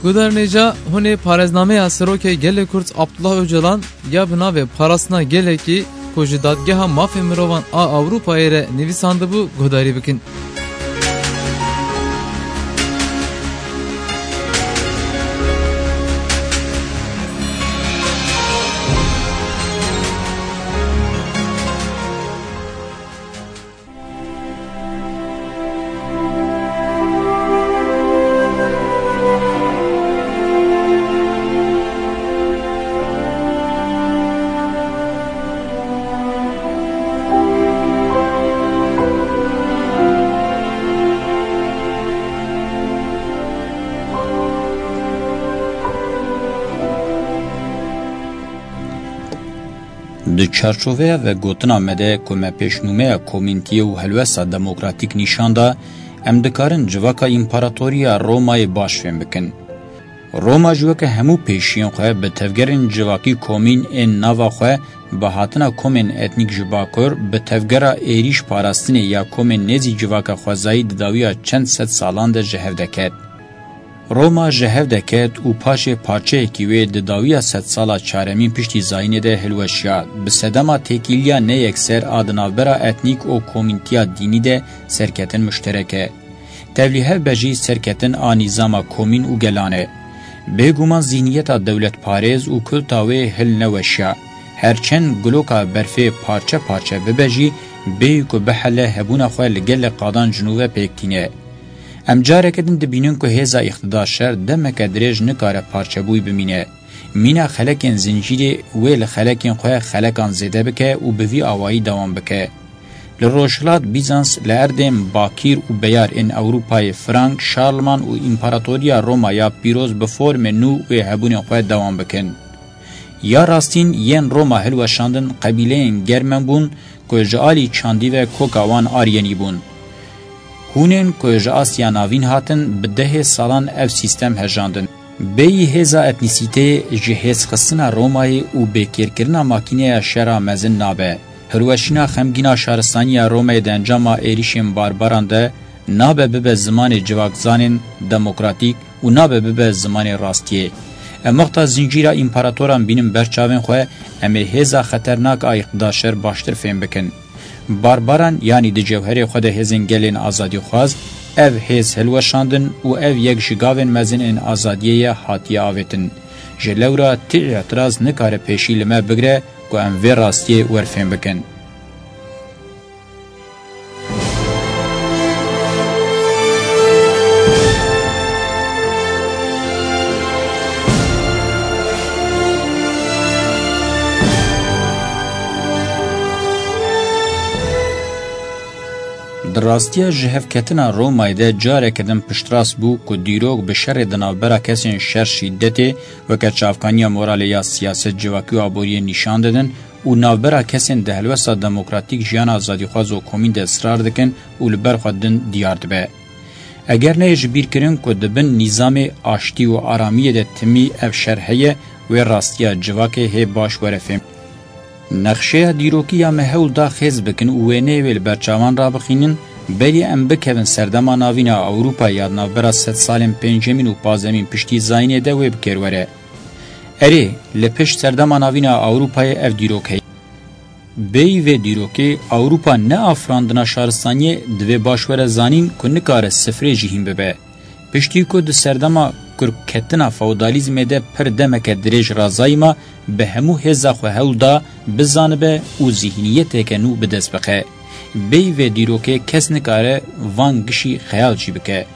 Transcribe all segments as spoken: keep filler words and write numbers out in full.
Guhdarên hêja, hûn ê parêznameya Serokê Gelê Kurd Abdullah Ocalan ya bi navê Parastina Gelekî ku ji Dadgeha Mafê Mirovan a Ewropayê re nivîsandibû guhdarî bikin. Di çarçoveya vegotina me de ku me pêşnûmeya komîntiyê û helwesta demokratîk nîşan da, em dikarin civaka împaratoriya Romayê baş fêm bikin. Roma jî weke hemû pêşiyên xwe bi tevgerên civakî komîn ên nava xwe, bi hatina komên etnîk ji Bakur, bi tevgera êrîş parastinê ya komên nêzî civaka xwezayî di dawiya çend sed salan de ji hev deket. Roma ji hev deket û paşê parçeyekî wê di dawiya sedsala çaremîn piştî zayînê de hilweşiya, bi sedema têkiliya neyekser a di navbera etnîk û komîntiya dînî de serketin muşterek e. Tevlîhev be jî serketin a nîzama komîn û gelan e. Bêguman zîhniyeta dewletparêz û kulta wê hil neweşiya. Her çend guloka berfê parçe parçe bibe jî, bêyî ku bihele hebûna xwe li gelek qadan ji nû ve pêk tîne. Em careke din dibînin ku hêza îqtidar şer demeke dirêj nikare parçebûyî bimîne. Mîna xelekên zincîrê wê li xelekên xwe xelekan zêde bike û bi vî awayî dewam bike. Li Rojhilat Bîzans, li erdên bakîr û beyar ên Ewropayê Frank, Şarlman û Împaratoriya Roma ya pîroz bi formên nû wê hebûnên xwe dewam bikin. Ya rastîn yên Roma hilweşandin qebîleyên Germen bûn ku ji alî çandî ve koka wan Aryenî bûn. Hûnên ku ji Asya Navîn hatin, bi dehê salan ev sîstem hejandin. Bêyî hêza etnîsîteyê ji hêzxistina Romayê û bêkêrkirina makîneya şera mezin nabe. Hilweşîna xemgîna şaristaniya Romayê di encama êrîşên barbaran de nabe bibe zimanê civakzanên demokratîk û nabe bibe zimanê rastiyê. Em wexta zincîra împaratoran bînin ber çavên xwe, em ê hêza xeternak a îqtida şer baştir fêm bikin. Barbaran, yanî di cewherê xwe de hêzên gelên azadîxwaz, ev hêz hilweşandin û ev yek ji gavên mezin ên azadiyê ye hatiye avêtin. Ji lewra ti îtiraz nikare pêşî li me bigire ku em vê rastiyê werfêm bikin. Di rastiya jihevketina Romayê de careke din piştrast bû ku dîrok bi şerê di navbera kesên şer şîdetê weke çavkaniya moralê ya siyaset, civakî û aboriyê nîşan didin û navbera kesên di helwesta demokratîk, jiyana azadîxwaz û komîn de israr dikin û li ber xwe din diyar dibe. Eger neyê ji bîr kirin ku di bin nîzamê aştî û aramiyê de timî ev şer heye, wê rastiya civakê hê baş were fêm. Nexşeya dîrokî ya me hewl da xêz bikin û wêneyê wê li ber çavan rabixînin, berî em bikevin serdema navîn a Ewropa ya di navbera sed salên pêncemîn û pazdemîn piştî zayînê de wê bi kêr were. Erê, li pişt serdema navîn a Ewropayê ev dîrok heye. Bêyî vê dîrokê, Ewropa ne afirandina şaristaniyê, divê baş were zanîn ku nikare sifrê jî hîn bibe. Piştî ku di serdema kurketina feodalîzmê de pir demeke dirêj razayî ma, bi hemû hêza xwe hewl da bizanibe û zîhniyeteke nû bi dest bixe. Bêyî vê dîrokê kes nikare van gişî xeyal jî bike.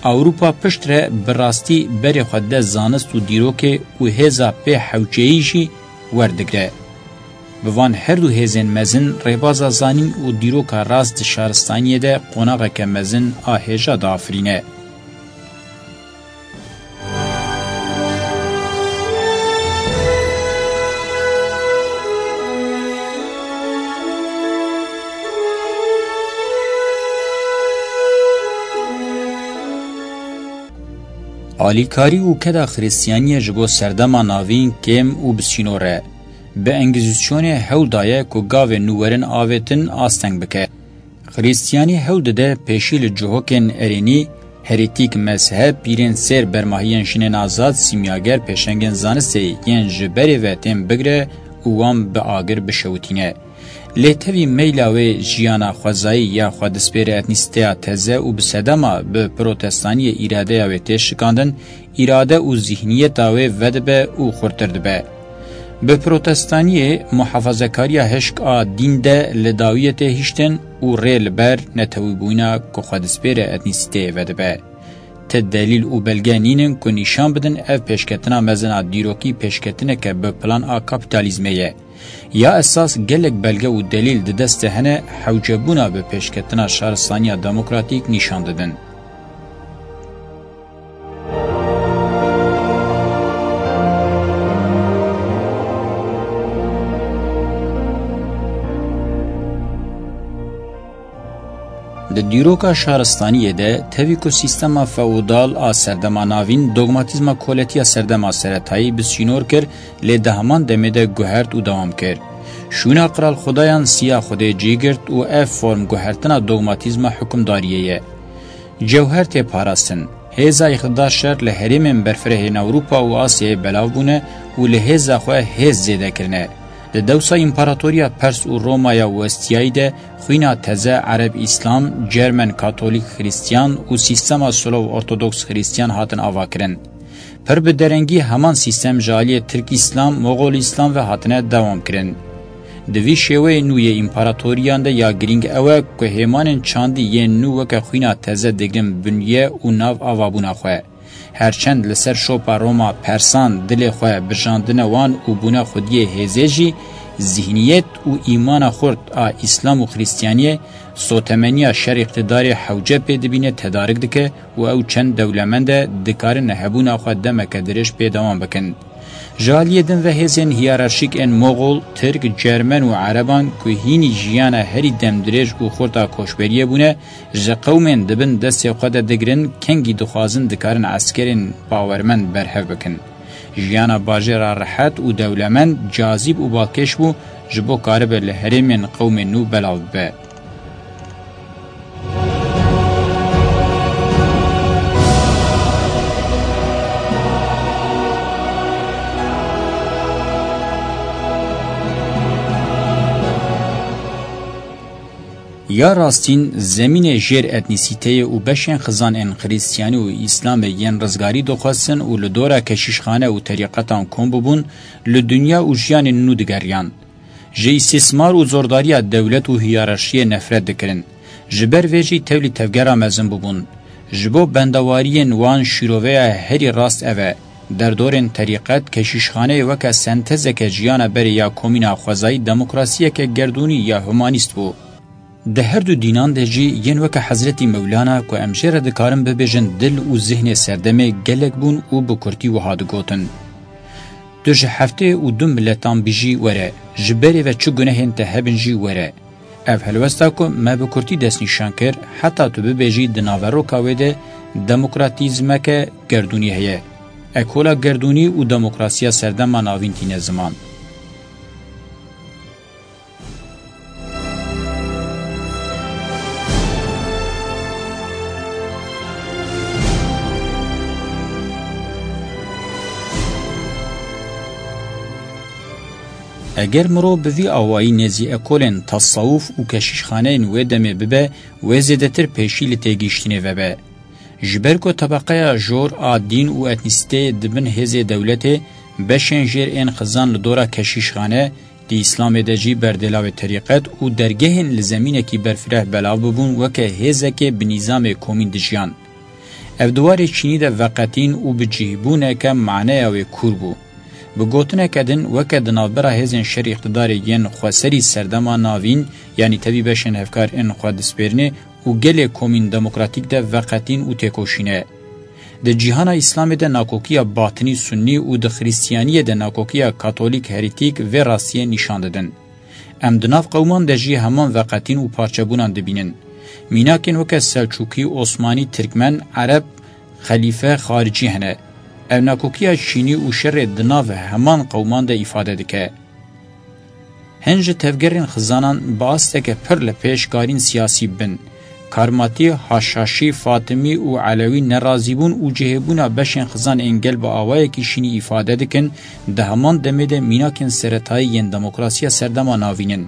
Ewropa piştre bi rastî berê xwe dide zanist û dîrokê û hêza pê hewceyî jî werdigre. Bi van her du hêzên mezin rêbaza zanîn û dîroka rast di şaristaniyê de qonaxeke mezin a hêja diafirîne. Alîkarî û keda Xiristiyaniyê ji bo serdema navîn kêm û bi sînor e. Bi Engîzîsyonê hewl daye ku gavên nû werin avêtin asteng bike. Xiristiyanî hewl dide pêşî li cihokên erênî Herêtîk, mezheb, pîrên sêr, bermahiyên jinên azad, sîmyager, pêşengên zanistê yên ji berê ve tên bigire û wan bi agir bişewitîne. Lê tevî meyla wê jiyana xwezayî ya xwedispêre etnîsîteya teze û bi sedema bi protestaniyê îradeya wê tê şikandin, îrade û zîhniyeta wê vedibe û xurtir dibe. Bi protestaniyê, muhafazekariya hişk a dîn de li dawiyê tê hiştin û rê li ber netewîbûyîna ku xwedispêre etnîsîteyê vedibe. Ti delîl û belge nînin ku nîşan bidin ev pêşketina mezin a dîrokî pêşketineke bi plan a kapîtalîzmê ye. Ya esas gelek belge û delîl di dest de hene hewcebûna bi pêşketina şaristaniya demokratîk nîşan didin. Di dîroka şaristaniyê de, tevî ku sîstema feodal a serdema navîn dogmatîzma koletiya serdema seretayî bi sînor kir, lê di heman demê de guhert û dewam kir. Şûna qiralxwedayan siya Xwedê cî girt û ev form guhertina dogmatîzma hukimdariyê ye. Cewher tê parastin. Hêza îqtidar şer li herêmên berfirehên Ewropa û Asyayê belav bûne û li hêza xwe hêz zêde kirine. Di dewsa împaratoriya Pers û Romaya Westiyayî de xwîna teze Ereb Îslam, Cermen Katolîk Xrîstiyan û sîstema Slov Ortodoks Xrîstiyan hatin avakirin. Pir bi derengî heman sîstem ji aliyê Tirk Îslam, Moxol Îslam ve hatine dewam kirin. Di vî şêweyê nû yê împaratoriyan de ya girîng ew e ku hêmanên çandî yên nû weke xwîna teze digrin binye û nav avabûna xwe. Her çend li ser şopa Roma Persan dilê xwe birjandine wan û bûne xwediyê hêzê jî, zîhniyet û îmana xurt a Îslam û Xrîstiyaniyê sotemeniya şer îqtidarê hewce pê dibîne, tedarik dike û ew çend dewlemend e, dikarine hebûna xwe demeke dirêj pê dewam bikin. Ji aliyê din ve hêzên hiyerarşîk ên Moxol, Tirk, Cermen û Ereban ku hînî jiyana herî demdirêj û xurt a koçberiyê bûne, ji qewmên di bin destê xwe de digirin, kengî dixwazin dikarin eskerên bawermend berhev bikin. Jiyana bajêra rehet û dewlemend, cazîb û balkêş bû, ji bo karibe li herêmên qewmên nû belav bibe. Ya rastîn, zemînê jêr etnîsîteyê û beşên xizan ên Xrîstiyanî û Îslamê yên rizgarî dixwestin û li dora keşîşxane û terîqetan kom bibûn, li dinya û jiyanên nû digeriyan. Ji îstîsmar û zordariya dewlet û hiyerarşiyê nefret dikirin. Ji ber vê jî tevlî tevgera mezin bûbûn. Ji bo bendewariyên wan şîroveya herî rast ev e. Derdorên terîqet, keşîşxaneyê weke sentezeke jiyana berê ya komîna xwezayî demokrasiyeke gerdûnî ya humanîst bû. Di her du dînan de jî yên weke Hezretî Mewlana ku em jê re dikarin bibêjin dil û zihnê serdemê gelek bûn û bi kurtî wiha digotin: Tu ji heftê û du miletan bijî were, ji berê ve çi gunehên te hebin jî were. Ev helwesta ku me bi kurtî destnîşan kir, heta tu bibêjî di naveroka wê de demokratîzmeke gerdûnî heye. Ekola gerdûnî û demokrasiya serdema navîn tîne ziman. Eger mirov bi vî awayî nêzî ekolên tesawuf û keşîşxaneyên wê demê bibe, wê zêdetir pêşî li têgihiştinê vebe. Ji ber ku tebeqeya jor a dîn û etnîsîteyê di bin hêzê dewletê, beşên jêr ên xizan li dora keşîşxane, di Îslamê de jî berdêlavê terîqet û dergehên li zemînekî berfireh belav bibûn, weke hêzekê bi nîzamê komîn dijiyan. Ev di warê çînî de veqetîn û bi cihbûneke maneya wê kûr bû. Bi gotineke din, weke di navbera hêzên şer îqtidarê yên xweserî serdema navîn, yanî tevî beşên hevkar ên xwe dispêrinê û gelê komîn demokratîk de veqetîn û têkoşîne. Di cîhana Îslamê de nakokiya batinî sunnî û di Xrîstiyaniyê de nakokiya katolîk herîtîk vê rastiyê nîşan didin. Em di nav qewman de jî heman veqetîn û parçebûnan dibînin. Mînakên weke Selçûkî, Osmanî, Tirkmen, Ereb, Xelîfe, Xaricî hene. Ev nakokiya çînî û şerê di nav heman qewman de îfade dike. Hin ji tevgerên xizanan bi asteke pir li pêş karîn siyasî bin. Karmatî, Haşhaşî, Fatimî û Elewî nerazîbûn û cihêbûna beşên xizan ên gel bi awayekî şînî îfade dikin, di heman demê de mînakên seretayî yên demokrasiya serdema navîn in.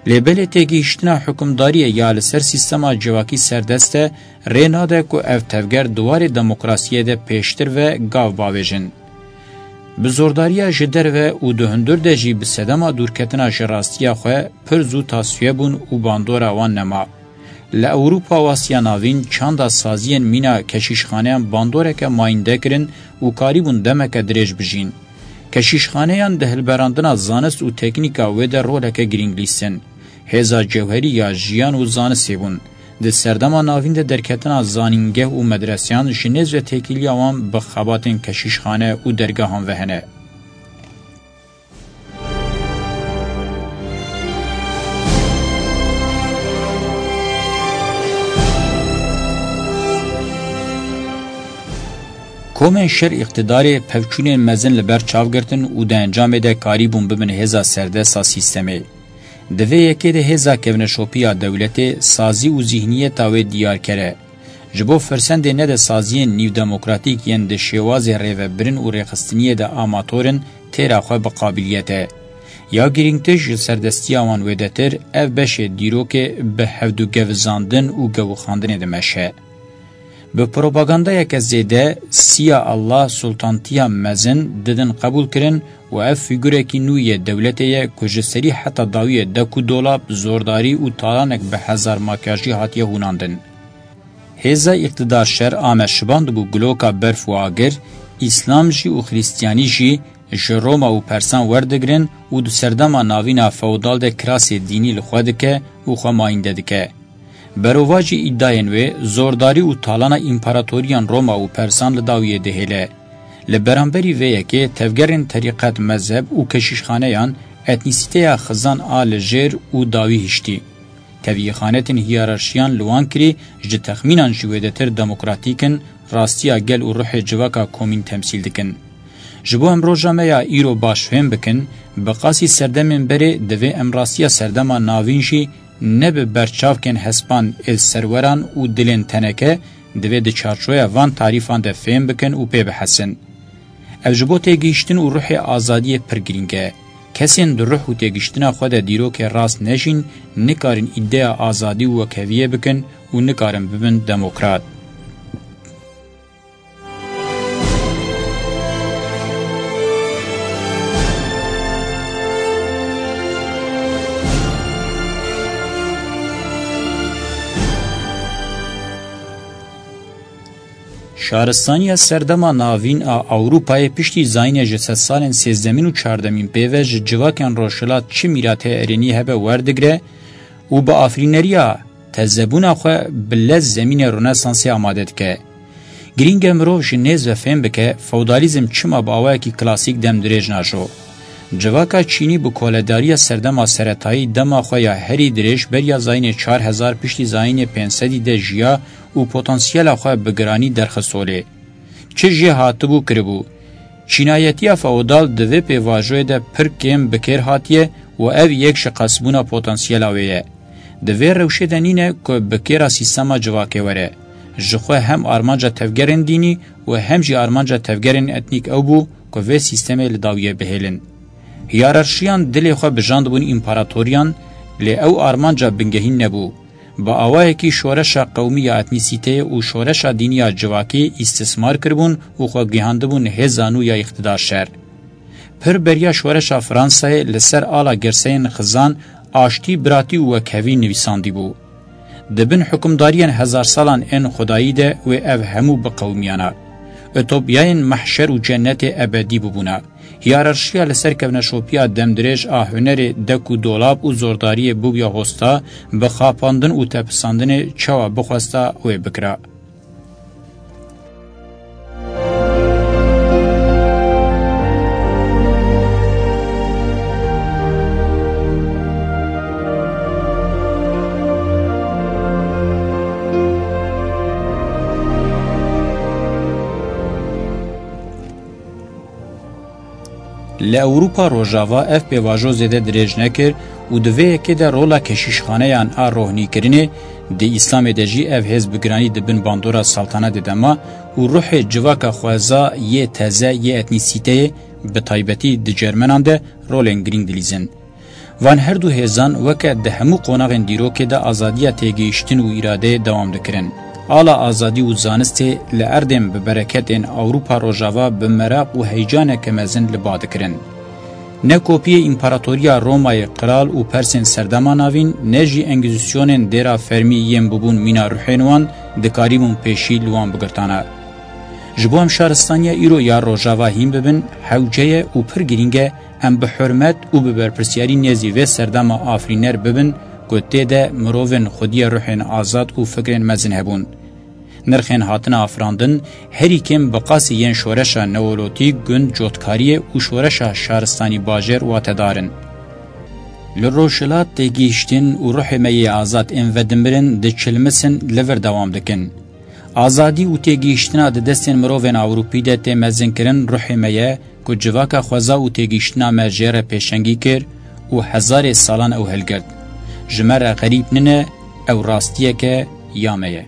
Lê belê têgihiştina hukimdariyê ya li ser sîstema civakî serdest e, rê nade ku ev tevger di warê demokrasiyê de pêştir ve gav bavêjin. Bi zordariya ji derve û di hundir de jî bi sedema dûrketina ji rastiya xwe pir zû tasfiye bûn û bandora wan nema. Li Ewropa û Asya Navîn çanda saziyên mîna keşîşxaneyan bandoreke mayînde kirin û karîbûn demeke dirêj bijîn. Keşîşxaneyan di hilberandina zanist û teknîka wê de roleke girîng lîstin. Hêza cewherî ya jiyan û zanistê bûn. Di serdema navîn de derketina zanîngeh û medreseyan ji nêz ve têkiliya wan bi xebatên keşîşxane û dergehan ve hene. Komên şer îqtidarê pevçûnên mezin li ber çav girtin û di encamê de karîbûn bibin hêza serdest a sîstemê. Di vê yekê de hêza kevneşopî ya dewletê sazî û zîhniyeta wê diyarker e. Ji bo firsendê nede saziyên nîvdemokratîk yên di şêwazê rêvebirin û rêxistiniyê de amator in, têra xwe bi qabiliyet e. Ya girîngtir ji serdestiya wan wêdetir, ev beşê dîrokê bi hevdûgevizandin û gewixandinê dimeşe. Bi propagandayeke zêde, siya Allah, sultantiya mezin didin qebûlkirin û ev fîgurekî nû yê dewletê ye ku ji serî heta dawiyê dek û dolab, zordarî û talanek bi hezar makyajî hatiye hûnandin. Hêza îqtidar şer a me şibandibû giloka berf û agir, Îslam jî û Xristiyanî jî ji Roma û Persan werdigrin û di serdema navîna feodal de kirasê dînî li xwe dike û xwe mayînde dike. Berovajî îdayên wê, zordarî û talana împaratoriyan Roma û Persan li dawiyê dihêle. Li beramberî vê yekê tevgerên terîqet, mezheb û keşîşxaneyan etnîsîteya xizan a li jêr û dawî hiştî. Tevîxanetên hiyerarşiyan li wan kirî ji texmînan jî wêdetir demokratîk in, rastiya gel û ruhê civaka komîn temsîl dikin. Ji bo em roja me ya îro baş fêm bikin, bi qasî serdemên berê divê em rastiya serdema navîn jî ne bi berçavkên hespan ê serweran û dilên teneke, divê di çarçoya van tarîfan de fêm bikin û pê bihesin. Ev ji bo têgihiştin û ruhê azadiyê pir girîng e. Kesên di ruh û têgihiştina xwe de dîrokê rast nejîn, nikarin îdeya azadî û wekheviyê bikin û nikarin bibin demokrat. Şaristaniya serdema navîn a Ewropayê piştî zayînê ji sedsalên sêzdemîn û çardemîn pê ve ji civakên rojhilat çi mîratê erênî hebe werdigre û bi afirîneriya tezebûna xwe bi lez zemînê Ronesansê amade dike. Girîng e mirov ji nêz ve fêm bike, feodalîzm çima bi awayekî klasîk demdirêj najo. Civaka Çînî bi koledariya serdema seretayî dema xwe ya herî dirêj beriya zayînê çar hezar piştî zayînê pênc sedî de jiya û potansiyela xwe bi giranî derxist holê. Çi jê hatibû kiribû. Çînayetiya feodal di vê pêvajoyê de pir kêm bi kêr hatiye û ev yek ji qesbûna potansiyela wê ye. Di vê rewşê de nîne ku bi kêra sîstema civakê were. Ji xwe hem armanca tevgerên dînî û hem jî armanca tevgerên etnîk ew bû ku vê sîstemê li dawiyê bihêlin. Hiyerarşiyan dilê xwe bijandibûn împaratoriyan, lê ew armanca bingehîn nebû. Bi awayekî şoreşa qewmî ya etnîsîteyê û şoreşa dînî ya civakî îstismar kiribûn û xwe gihandibûn hêza nû ya îqtidar şer. Pir beriya şoreşa Fransayê li ser ala girseyên xizan, aştî, biratî û wekhevî nivîsandîbû. Di bin hukimdariyên hezarsalan ên xwedayî de wê ev hemû biqewimiyana. Utopyayên mehşer û cennetê ebedî bibûna. Hiyerarşiya li ser kevneşopiya demdirêj a hunerê dek û dolab û zordariyê bûbûya hosta, bi xapandin û tepisandinê çawa bixwesta wê bikira. Li Ewropa Rojava ev pêvajo zêde dirêj nekir û di vê yekê de rola keşîşxaneyan a rohnîkirinê, di Îslamê de jî ev hêz bi giranî di bin bandora saltanetê de ma û ruhê civaka xweza yê teze yê etnîsîteyê, bi taybetî di Cermenan de, rolên girîng dilîzin. Van her du hêzan weke di hemû qonaxên dîrokê de azadiya têgihiştin û îradeyê dewam dikirin. Ala azadî û zanistê li erdên bi bereketên Ewropa Rojava bi meraq û heyecaneke mezin li ba dikirin. Ne kopiyê Împaratoriya Romayê qral û persên serdema navîn, ne jî engîzîsyonên dêra fermî yên bibûn mîna ruhên wan, dikarîbûn pêşî li wan bigirtana. Ji bo em şaristaniya îro ya Rojava hîn bibin, hewce ye û pir girîng e em bi hurmet û bi berpirsiyarî nêzî vê serdema afirîner bibin ku tê de mirovên xwediyê ruhên azad û fikrên mezin hebûn. Nirxên hatina afirandin herî kêm bi qasî yên şoreşa neolotîk, gund, cotkariyê û şoreşa şaristanî bajêr watedar in. Li rojhilat têgihiştin û ruhê me yê azad ên vedimirin diçilmisin, li vir dewam dikin. Azadî û têgihiştina di destên mirovên Ewropî de tê mezinkirin ruhê me ye ku civaka xweza û têgihiştina me jê re pêşengî kir û hezarê salan ew hilgirt. Ji me re xerîb nine, ew rastiyeke ya me ye.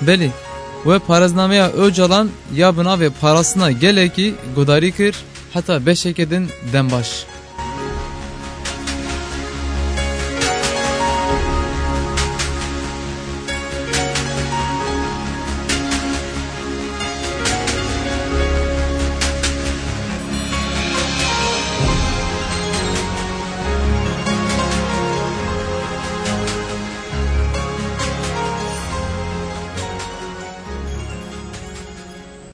Belê, we parêznameya Ocalan ya bi navê Parastina Gelekî gudarî kir, heta beşeke din dem baş.